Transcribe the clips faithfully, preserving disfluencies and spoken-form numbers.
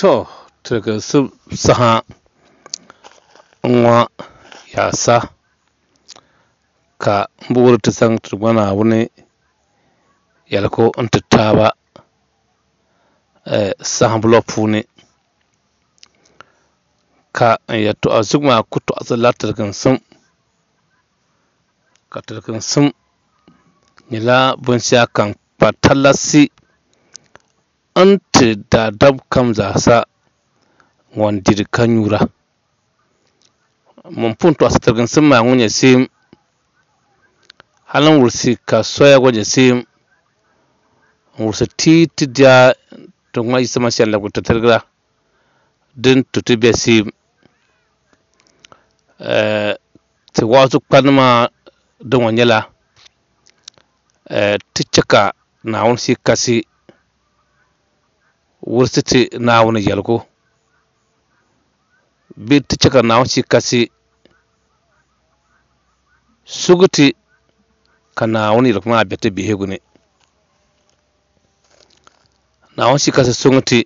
To, tiliginsim saha n-ŋɔ yaasa ka m bi wuri ti zaŋ ti Duuma Naawuni yɛligu n-ti taaba sahibu puuni ka n yɛtɔɣa zuɣu maa ku tɔɣisirila tiliginsim ka tiliginsim nyɛla binshɛɣu kam kpa talasi n-ti daadam kam zaasa ŋun diri ka nyura. Ŋun pun tɔɣisi tiliginsim maa ŋun nyɛ seem hali n-wurisi ka soya gba nyɛ seem n-wurisi ti ti diya ti ŋma Yisa Masia n-labigi ti tiligira din tu ti be seem. Ti waazu kpanima din ŋɔ nyɛla ti chɛ ka Naawuni Shii Kasi wurisi ti Naawuni yɛligu bee ti chɛ ka Naawuni Shii Kasi sugi ti ka Naawuni yɛligu maa be ti bihigu ni. Naawuni Shii Kasi suŋ ti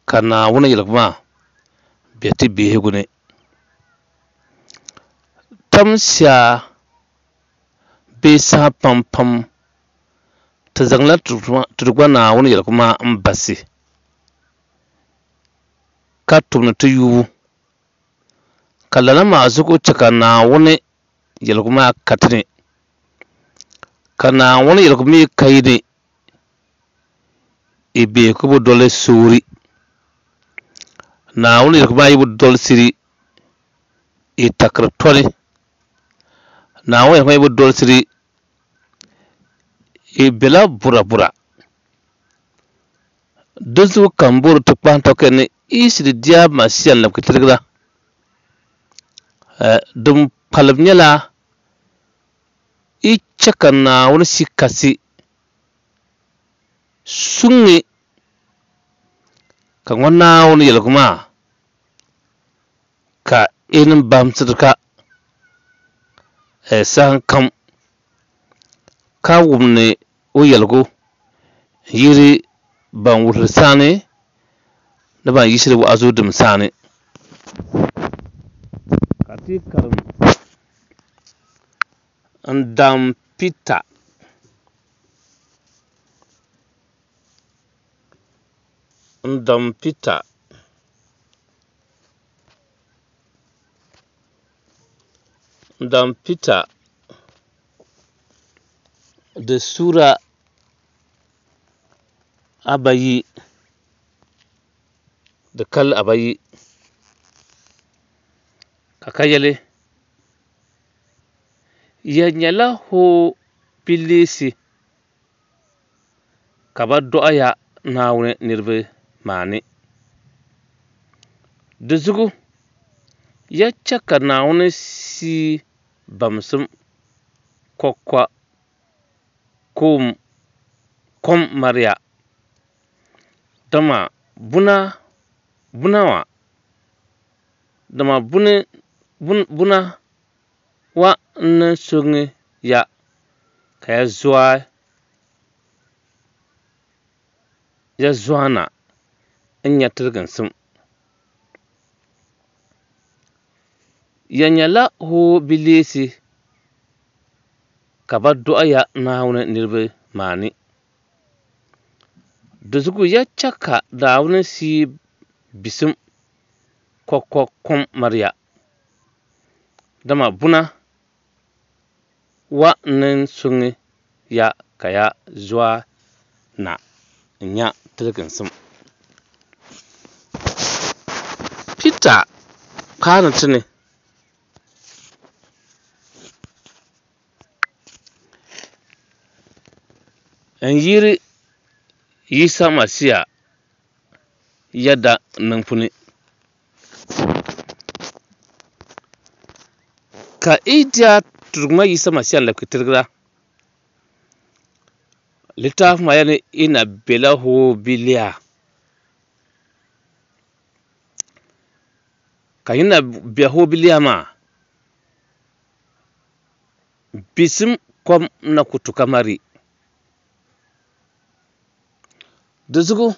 ka Naawuni yɛligu maa be ti bihigu ni. Tamsia bee saha pam pam ti zaŋla ti Duuma Naawuni yɛligu maa m-basi ka tumdi ti yubu ka lala maa zuɣu chɛ ka Naawuni yɛligu maa ka ti ni ka Naawuni yɛligu mi ka yi ni i be ku bi doli soori. Naawuni yɛligu maa yi bi dolisiri i takiri tɔni. Naawuni yɛligu maa yi bi dolisiri i bela burabura. Di zuɣu ka m bori ti kpahim tɔki ni East Dia Masia n-labigi tiligira. Din kpalim nyɛla i chɛ ka Naawuni Shii Kasi suŋi ka ŋɔ Naawuni yɛligu maa ka i niŋ bahimsiri ka saha kam ka wumni o yɛligu n-yiri ban wuhiri saani ni ban yiɣisiri wa'azu dim saani. Ka ti karim n-dam Pita n-dam Pita n-dam Pita di suura abayi di kalli abayi ka ka yɛli ya nyɛla hoo bilisi ka ba dɔɣi ya Naawuni niriba maa ni. Di zuɣu ya chɛ ka Naawuni Shii bamsim kɔkɔ kom mariya. Dama buna buna wa dama buni buna wa n-ni suŋi ya ka ya zɔi ya zɔana n-nya tiliginsim. Ya nyɛla hoo bilisi ka ba dɔɣi ya Naawuni niriba maa ni. Di zuɣu ya chɛ ka Naawuni Shii bisim kɔkɔ kom mariya. Dama buna wa n-ni suŋi ya ka ya zɔa na n-nya tiliginsim. Pita kpaani ti ni n-yiri Yisa Masia yɛda niŋbu ni. Ka i diya Duuma Yisa Masia n-labigi tiligira. Litaafi maa yɛli ni i na bela hoo bilia. Ka yi na be hoo bilia maa, bisim kom na ku tu ka mari. Di zuɣu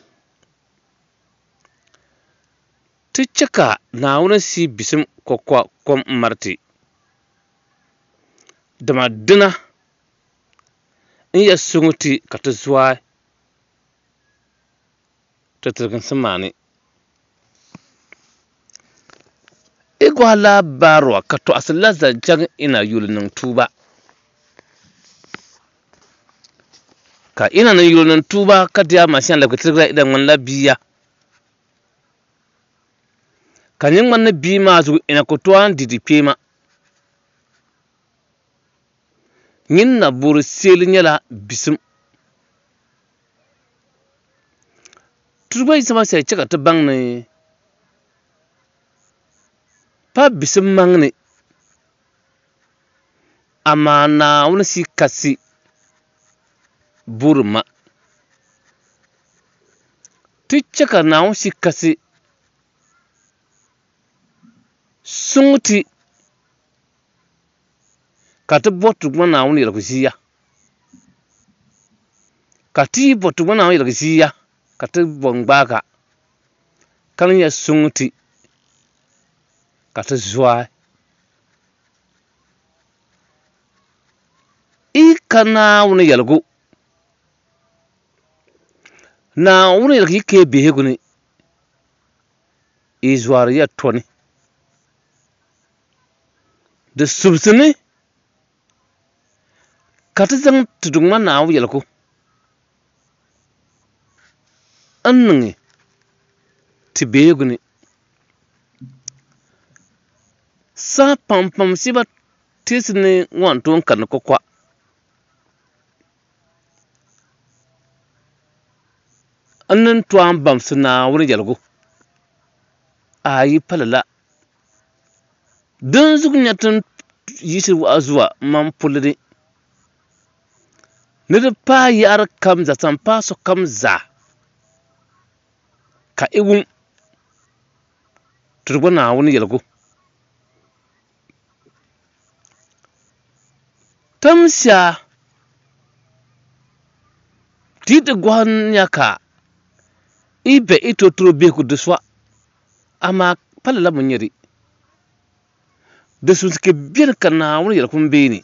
Ti chɛ ka Naawuni Shia bisim kɔkɔ kom m-mari ti, dama dina n-yɛn sɔŋ ti ka ti zɔi ti tiliginsim maa ni. I gɔhi lahabaaruwa ka tɔɣisi la zaŋ chaŋ Ina yuli niŋ tuuba. Ka Ina niŋ yuli niŋ tuuba ka di Masia n-labigi tiligira Ina ŋmanila bia. Ka nyin ŋmani ni bia maa zuɣu Ina ku tooi di di kpeema. Nyin na boori seeli nyɛla bisim. Tuuba Yisa Masia chɛ ka ti baŋ ni pa bisim maŋ ni, amaa Naawuni Shia Kasi boori ma. Ti chɛ ka Naawuni Shia Kasi sɔŋ ti ka ti bɔri Duuma Naawuni yɛligu ʒiya. Ka ti yi bɔri Duuma Naawuni yɛligu ʒiya ka ti bɔ n-gbaagi ka ni nya sɔŋ ti ka ti zɔi. I ka Naawuni yɛligu. Naawuni yɛligu yi kee bihigu ni, i zɔri ya tɔni. Di subisi ni ka ti zaŋ ti Duuma Naawuni yɛligu n-niŋ ti bihigu ni. Saha pampam shiba teesi ni ŋɔ n-tooi n karindi kɔkɔa. N ni tooi n-baŋsi Naawuni yɛligu. Ayi pa lala. Dinzuɣu nya ti ni yiɣisi wa'azu man puli ni ni di paai yaɣiri kam zaa zaŋ paai sokam zaa ka i wum ti gba Naawuni yɛligu. Tamsia ti yi ti gɔhi nya ka i be i totoro bihigu di sɔa, amaa pa lala mi n-nyɛ di. Di sunsi ka beni ka Naawuni yɛligu m-beeni.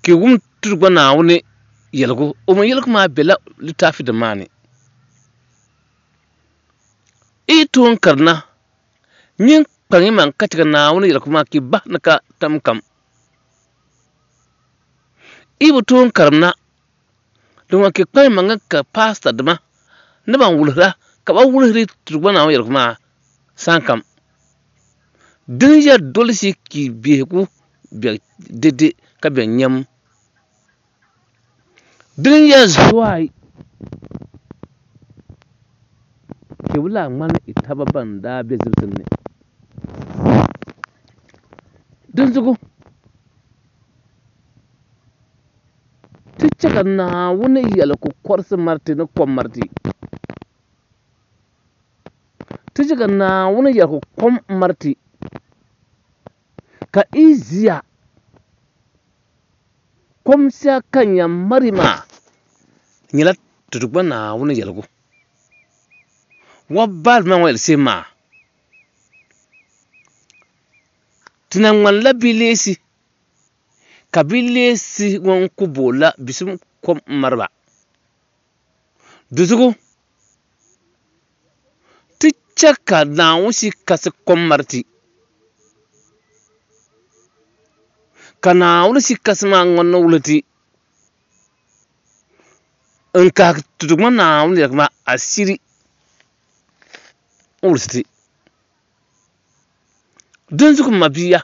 Ka i wum ti gba Naawuni yɛligu, o mi yɛligu maa bela litaafi din maa ni. I yi tooi n-karina, nyin kpaŋ imaŋ ka chɛ ka Naawuni yɛligu maa ka i bahi ni ka tam kam. I bi tooi n-karimna, din ŋɔ ka i kpaŋ imaŋ ka paasita dima ni ban wulihira ka ba wulihiri ti gba Naawuni yɛligu maa sahakam. Din ya dolisi ka i bihigu be dede ka be nyam. Din ya zuai ka i bi lahi ŋmani i taba ban daa be zibisim ni. Dinzuɣu ti chɛ ka Naawuni yɛligu kɔrisi mari ti ni kom mari ti. Ti chɛ ka Naawuni yɛligu kom mari ti ka i ʒiya kom shɛli ka n yɛn mari maa nyɛla ti Duuma Naawuni yɛligu. Wɔbali maa ŋɔ yɛli shɛm maa, ti na ŋmanila bileesi ka bileesi ŋɔ ku boonila bisim kom m-mari ba. Dinzuɣu ti chɛ ka Naawuni Shia Kasi kom mari ti. Ka Naawuni Shia Kasi maa ŋɔ ni wuhi ti n-kahigi ti Duuma Naawuni yɛligu maa asiri n-wulisi ti. Dinzuɣu m mabia,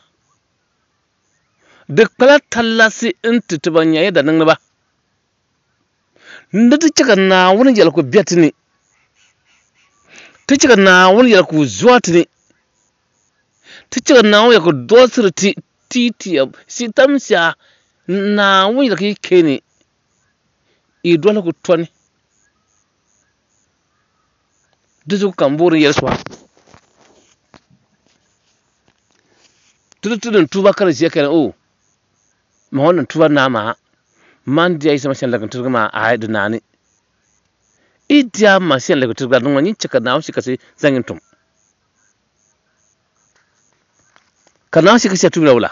di kpala talasi n-ti ti ban nyɛ yɛda niŋdiba ni ti chɛ ka Naawuni yɛligu be ti ni, ti chɛ ka Naawuni yɛligu zɔri ti ni, ti chɛ ka Naawuni yɛligu dolisiri ti ti tiya tamsia Naawuni yɛligu yi kee ni yi doligu tɔni. Dinzuɣu ka m boori n yɛli so a, ti di ti niŋ tuuba ka di ʒiya ka yɛli o ma ŋɔ niŋ tuuba naai maa man diya Yisa Masia n-lagi n-tiligi maa aai di naani. I dia Masia n-lɛbigi tirigira din ŋɔ nyin chɛ ka Naawuni Shia Kasi zaŋ nyin tum. Ka Naawuni Shia Kasi ya tumila wula?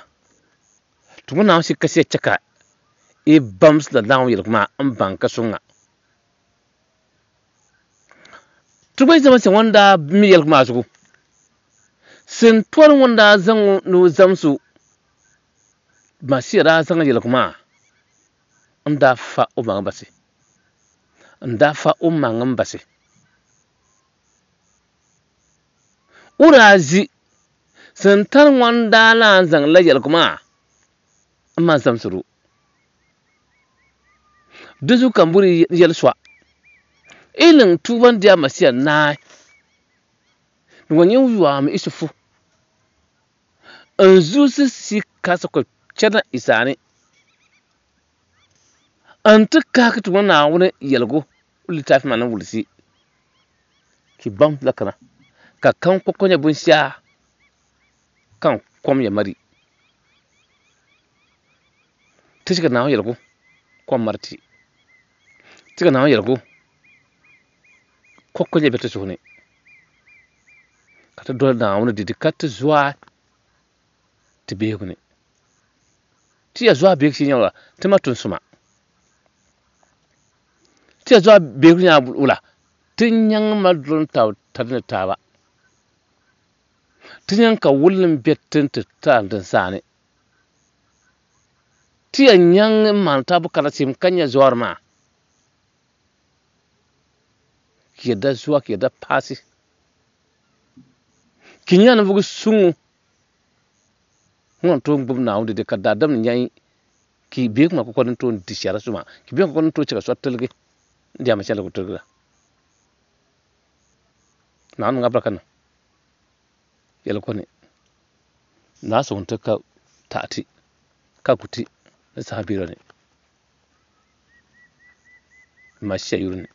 Ti ŋɔ Naawuni Shia Kasi ya chɛ ka i bamsila Naawuni yɛligu maa m-baŋ ka suŋ ŋa. Ti gba yi zama shɛm ŋɔ daa mi yɛligu maa zuɣu. Sintɔri ŋun daa zaŋ o ni o zamsi o, Masia daa zaŋ yɛligu maa n-daa fa o maŋ basi. N-daa fa o maŋ m-basi. O daa ʒi sintani ŋun daa lan zaŋ la yɛligu maa m-man zamsiri o. Di zuɣu ka m bɔri yɛli sɔa. I niŋ tuuba n-di a Masia naai. Ni ŋɔ nyɛ yɔami Isufu. N zuɣusi si kasi ku chana Isaani. N ti kaaki ti ŋɔ Naawuni yɛligu litaafi maa ni wulisi. Ki baŋ la kana ka kam kɔkɔ nyɛ binshɛɣu kan kom ya mari. Ti chɛ ka Naawuni yɛligu kom mari ti. Ti ka Naawuni yɛligu kɔkɔ nyɛ bɛ ti suhu ni. Ka ti doli Naawuni didi ka ti zɔai ti bihigu ni. Ti ya zɔai bihigu shee nyɛ wula? Ti ma tun suma. Ti ya zɔai bihigu nyɛ wula? Ti nyaŋ ma doli tab tari ni taaba. Ti nyaŋ ka wulli m-be ti ni ti taai din saani. Ti ya nyaŋ m-maani taabu kara shim ka nya zɔri maa. Ki yɛda zuwa, ki yɛda paasi. Ki nya ninvuɣ suŋ ŋun tooi gbubi Naawuni dede ka daadam ni nya ki bihigu maa kɔkɔ ni tooi di shɛra suma. Ki bihigu kɔkɔ ni tooi chɛ ka so tiligi n-di ama shɛli ku tiligira. Naawuni niŋ abaraka niŋ yɛli ko ni naa sɔŋ ti ka taɣati ka gu ti ni saha biɛla ni Masia yuli ni.